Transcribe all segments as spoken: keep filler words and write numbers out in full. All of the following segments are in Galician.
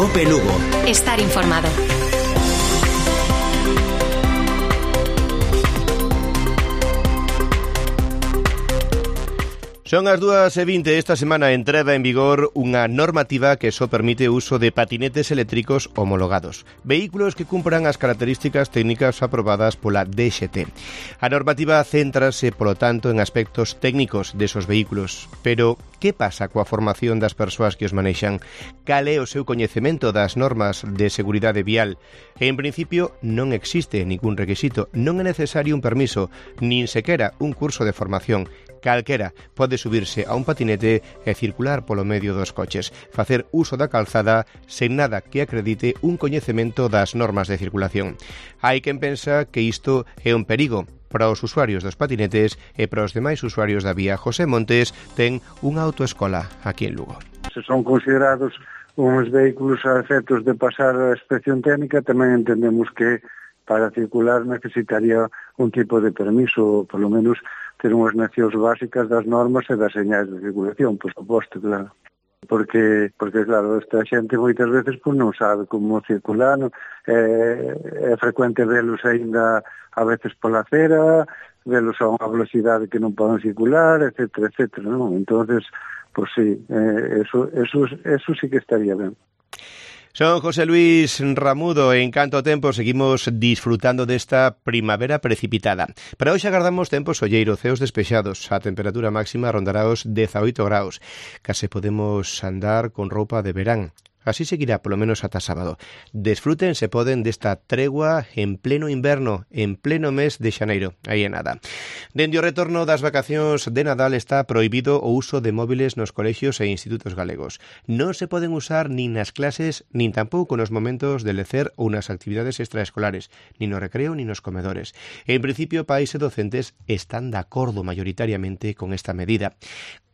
Cope Lugo. Estar informado. Son as dúas e vinte. Esta semana entrada en vigor unha normativa que só permite o uso de patinetes eléctricos homologados, vehículos que cumpran as características técnicas aprobadas pola D X T. A normativa céntrase, polo tanto, en aspectos técnicos desos vehículos. Pero, que pasa coa formación das persoas que os manexan? Cal é o seu coñecemento das normas de seguridade vial? En principio, non existe ningún requisito, non é necesario un permiso, nin sequera un curso de formación. Calquera pode subirse a un patinete e circular polo medio dos coches, facer uso da calzada sen nada que acredite un coñecemento das normas de circulación. Hai quen pensa que isto é un perigo para os usuarios dos patinetes e para os demais usuarios da vía. José Montes ten unha autoescola aquí en Lugo. Se son considerados uns vehículos a efectos de pasar a inspección técnica, tamén entendemos que para circular necesitaría un tipo de permiso, polo menos ter unhas nocións básicas das normas e das señais de circulación, por suposto, claro. Porque, porque claro, esta xente moitas veces pues, non sabe como circular, non? É, é frecuente velos aínda a veces pola acera, velos a unha velocidade que non poden circular, etcétera, etcétera, non? Entonces, pues sí, eh, eso, eso, eso sí que estaría ben. Son José Luis Ramudo. En canto tempo seguimos disfrutando desta primavera precipitada. Para hoxe agardamos tempos solleiro, ceos despexados. A temperatura máxima rondará os dezaoito graus. Case podemos andar con roupa de verán. Así seguirá polo menos ata sábado. Desfruten, se poden, desta tregua en pleno inverno, en pleno mes de xaneiro. Aí é nada. Dende o retorno das vacacións de Nadal está prohibido o uso de móviles nos colexios e institutos galegos. Non se poden usar nin nas clases, nin tampouco nos momentos de lecer ou nas actividades extraescolares, nin no recreo, nin nos comedores. En principio, pais e docentes están de acordo maioritariamente con esta medida.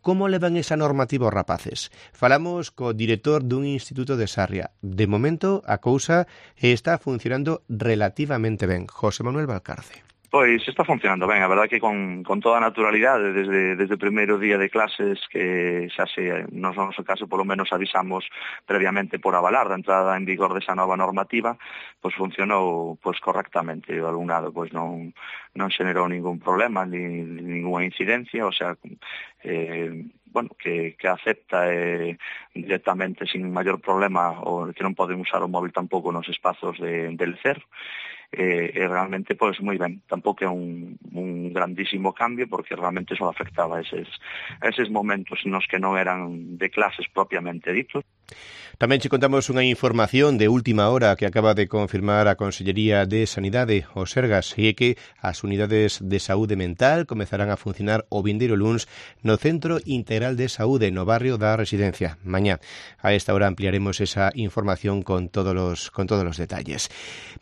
Como levan esa normativa os rapaces? Falamos co director dun instituto de Sarria. De momento, a cousa está funcionando relativamente ben. José Manuel Valcarce. Pois está funcionando ben, a verdade que con, con toda a naturalidade desde, desde o primeiro día de clases que xa se, no noso caso, polo menos avisamos previamente por avalar da entrada en vigor desa nova normativa, pois funcionou pois correctamente. O alumnado pois non, non xenerou ningún problema, ni, ni ninguna incidencia, o sea, eh, bueno, que, que acepta eh, directamente sin maior problema o que non poden usar o móvil tampouco nos espazos de, de lecer. Eh, e realmente, pois, moi ben. Tampouco é un, un grandísimo cambio, porque realmente só afectaba a eses, a eses momentos nos que non eran de clases propiamente ditos. Tamén che contamos unha información de última hora que acaba de confirmar a Consellería de Sanidade, o Sergas, e é que as unidades de saúde mental comezarán a funcionar o vindeiro luns no Centro Integral de Saúde no barrio da Residencia. Mañá, a esta hora ampliaremos esa información con todos os, con todos os detalles.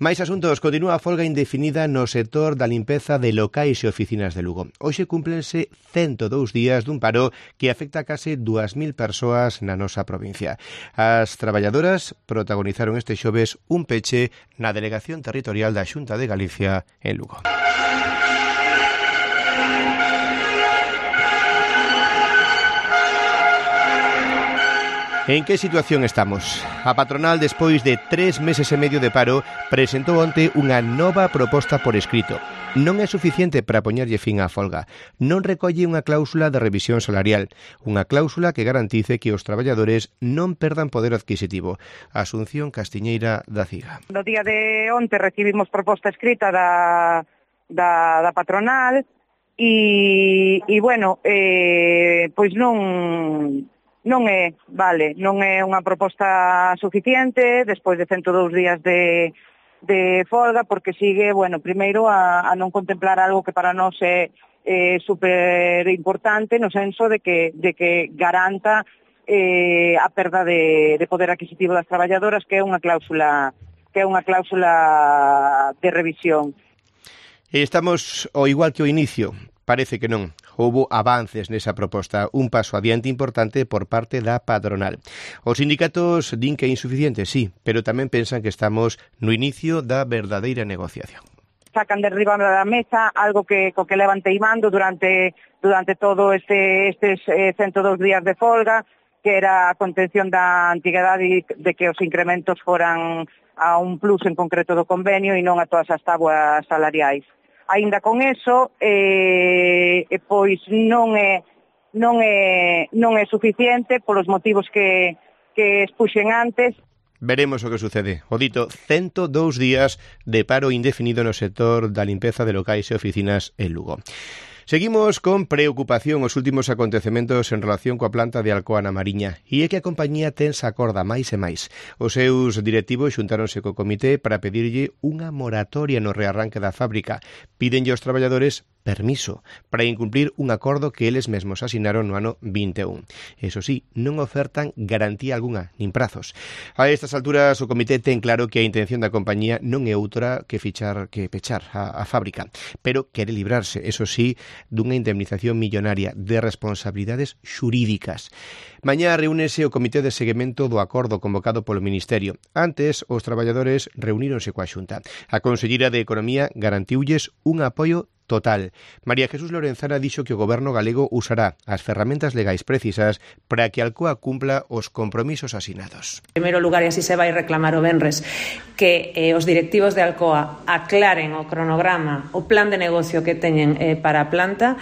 Mais asuntos. Continúa a folga indefinida no sector da limpeza de locais e oficinas de Lugo. Hoxe cúmplense cento dous días dun paro que afecta a case dúas mil persoas na nosa provincia. As traballadoras protagonizaron este xoves un peche na Delegación Territorial da Xunta de Galicia en Lugo. En que situación estamos? A patronal, despois de tres meses e medio de paro, presentou onte unha nova proposta por escrito. Non é suficiente para poñerlle fin á folga. Non recolle unha cláusula de revisión salarial, unha cláusula que garantice que os traballadores non perdan poder adquisitivo. Asunción Castiñeira da CIGA. No día de onte recibimos proposta escrita da, da, da patronal e, e bueno, eh, pois non... Non é, vale, non é unha proposta suficiente despois de cento dous días de, de folga, porque sigue, bueno, primeiro a, a non contemplar algo que para nós é eh, super importante no senso de que, de que garanta eh, a perda de, de poder adquisitivo das traballadoras, que é unha cláusula que é unha cláusula de revisión. Estamos ao igual que o inicio. Parece que non. Houbo avances nesa proposta, un paso adiante importante por parte da patronal. Os sindicatos din que é insuficiente, sí, pero tamén pensan que estamos no inicio da verdadeira negociación. Sacan de riba da mesa algo que co que levan teimando durante durante todo este estes eh, cento dous días de folga, que era a contención da antiguidade e de que os incrementos foran a un plus en concreto do convenio e non a todas as tabuas salariais. Aínda con eso, eh, pois non é non é non é suficiente polos motivos que que expuxen antes. Veremos o que sucede. O dito, ciento dous días de paro indefinido no sector da limpeza de locais e oficinas en Lugo. Seguimos con preocupación os últimos acontecementos en relación coa planta de Alcoa na Mariña e é que a compañía tensa acorda máis e máis. Os seus directivos xuntáronse co comité para pedirlle unha moratoria no rearranque da fábrica. Pídenlle aos traballadores permiso para incumplir un acordo que eles mesmos asinaron no ano vinte e un. Eso sí, non ofertan garantía algunha, nin prazos. A estas alturas o comité ten claro que a intención da compañía non é outra que fichar que pechar a, a fábrica, pero quere librarse, eso sí, dunha indemnización millonaria de responsabilidades xurídicas. Mañá reúnese o comité de seguimento do acordo convocado polo Ministerio. Antes, os traballadores reuníronse coa Xunta. A conselleira de Economía garantiulles un apoio total. María Jesús Lorenzana dixo que o goberno galego usará as ferramentas legais precisas para que Alcoa cumpla os compromisos asinados. En primeiro lugar, e así se vai reclamar o venres, que eh, os directivos de Alcoa aclaren o cronograma, o plan de negocio que teñen eh, para a planta.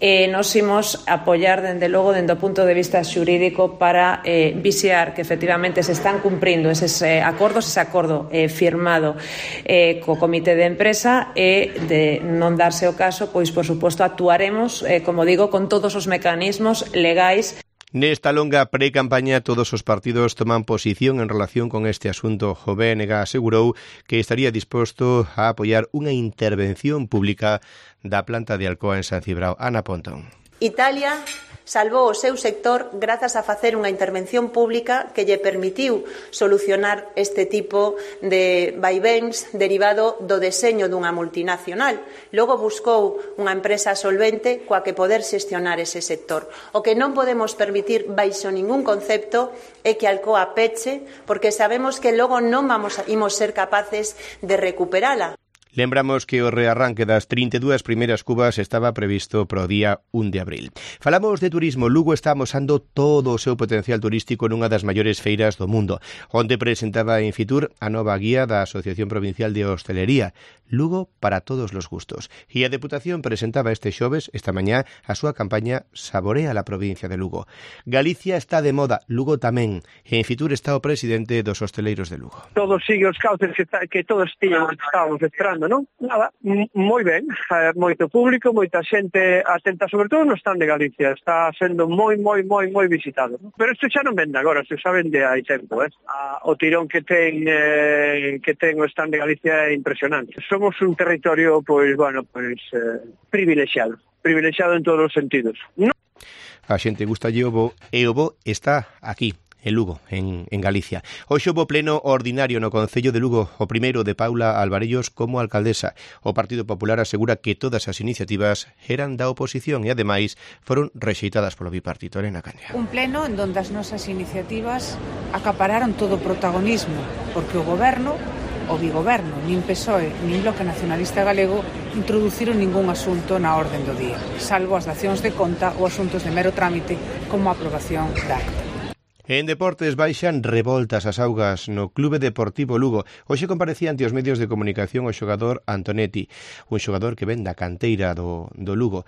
Eh, nos imos apoiar, dende logo, dende o punto de vista xurídico para eh, vixiar que efectivamente se están cumprindo eses eh, acordos, ese acordo eh, firmado eh, co comité de empresa e de non darse o caso, pois, por suposto, actuaremos, eh, como digo, con todos os mecanismos legais. Nesta longa pre-campaña todos os partidos toman posición en relación con este asunto. O B N G asegurou que estaría disposto a apoiar unha intervención pública da planta de Alcoa en San Cibrao. Ana Pontón. Italia salvou o seu sector grazas a facer unha intervención pública que lle permitiu solucionar este tipo de vaivéns derivado do deseño dunha multinacional. Logo buscou unha empresa solvente coa que poder xestionar ese sector. O que non podemos permitir baixo ningún concepto é que Alcoa peche, porque sabemos que logo non vamos a, imos ser capaces de recuperala. Lembramos que o rearranque das trinta e dúas primeiras cubas estaba previsto para o día un de abril. Falamos de turismo. Lugo está amosando todo o seu potencial turístico nunha das maiores feiras do mundo. Onde presentaba en Fitur a nova guía da Asociación Provincial de Hostelería, Lugo para todos os gustos. E a Deputación presentaba este xoves, esta mañá, a súa campaña Saborea la provincia de Lugo. Galicia está de moda, Lugo tamén. E en Fitur está o presidente dos hosteleiros de Lugo. Todos sigue os cauces que, que todos tiñamos, estábamos esperando, non? Nada, moi ben, moito público, moita xente atenta, sobre todo no stand de Galicia, está sendo moi, moi, moi, moi visitado. Pero isto xa non vende agora, se xa vende hai tempo, eh? O tirón que ten eh, que ten o stand de Galicia é impresionante. Somos un territorio, pois, bueno, pois, eh, privilexiado, privilexiado en todos os sentidos. No. A xente gusta o bo, e o bo está aquí, en Lugo, en, en Galicia. Hoxe houbo pleno ordinario no Concello de Lugo, o primeiro de Paula Alvarellos como alcaldesa. O Partido Popular asegura que todas as iniciativas eran da oposición e, ademais, foron rexeitadas polo bipartito. Elena Candia. Un pleno en donde as nosas iniciativas acapararon todo o protagonismo, porque o goberno, o bigoberno, nin P S O E, nin Bloque Nacionalista Galego introduciron ningún asunto na orden do día, salvo as dacións de conta ou asuntos de mero trámite como a aprobación da acta. En deportes baixan revoltas as augas no Clube Deportivo Lugo. Hoxe comparecía ante os medios de comunicación o xogador Antonetti, un xogador que ven da canteira do, do Lugo.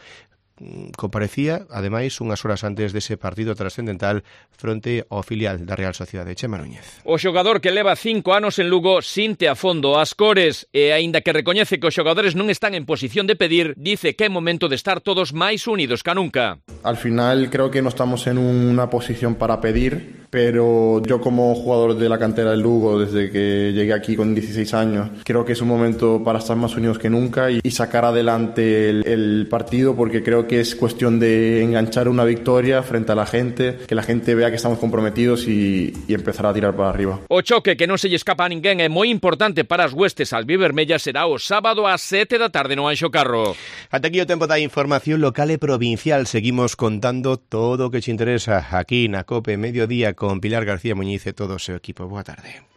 Comparecía, ademais, unhas horas antes dese partido trascendental fronte ao filial da Real Sociedade. Chema Núñez. O xogador que leva cinco anos en Lugo sinte a fondo as cores e, aínda que recoñece que os xogadores non están en posición de pedir, dice que é momento de estar todos máis unidos ca nunca. Al final creo que no estamos en una posición para pedir, pero yo como jugador de la cantera del Lugo desde que llegué aquí con dieciséis años, creo que es un momento para estar más unidos que nunca y, y sacar adelante el, el partido, porque creo que es cuestión de enganchar una victoria frente a la gente, que la gente vea que estamos comprometidos y, y empezar a tirar para arriba. O choque que non se lle escapa a ninguén é moi importante para as huestes albivermellas, será o sábado ás sete da tarde no Anxo Carro. Ata aquí o tempo da información local e provincial. Seguimos contando todo o que te interesa aquí na COPE Mediodía con Pilar García Muñiz e todo o seu equipo. Boa tarde.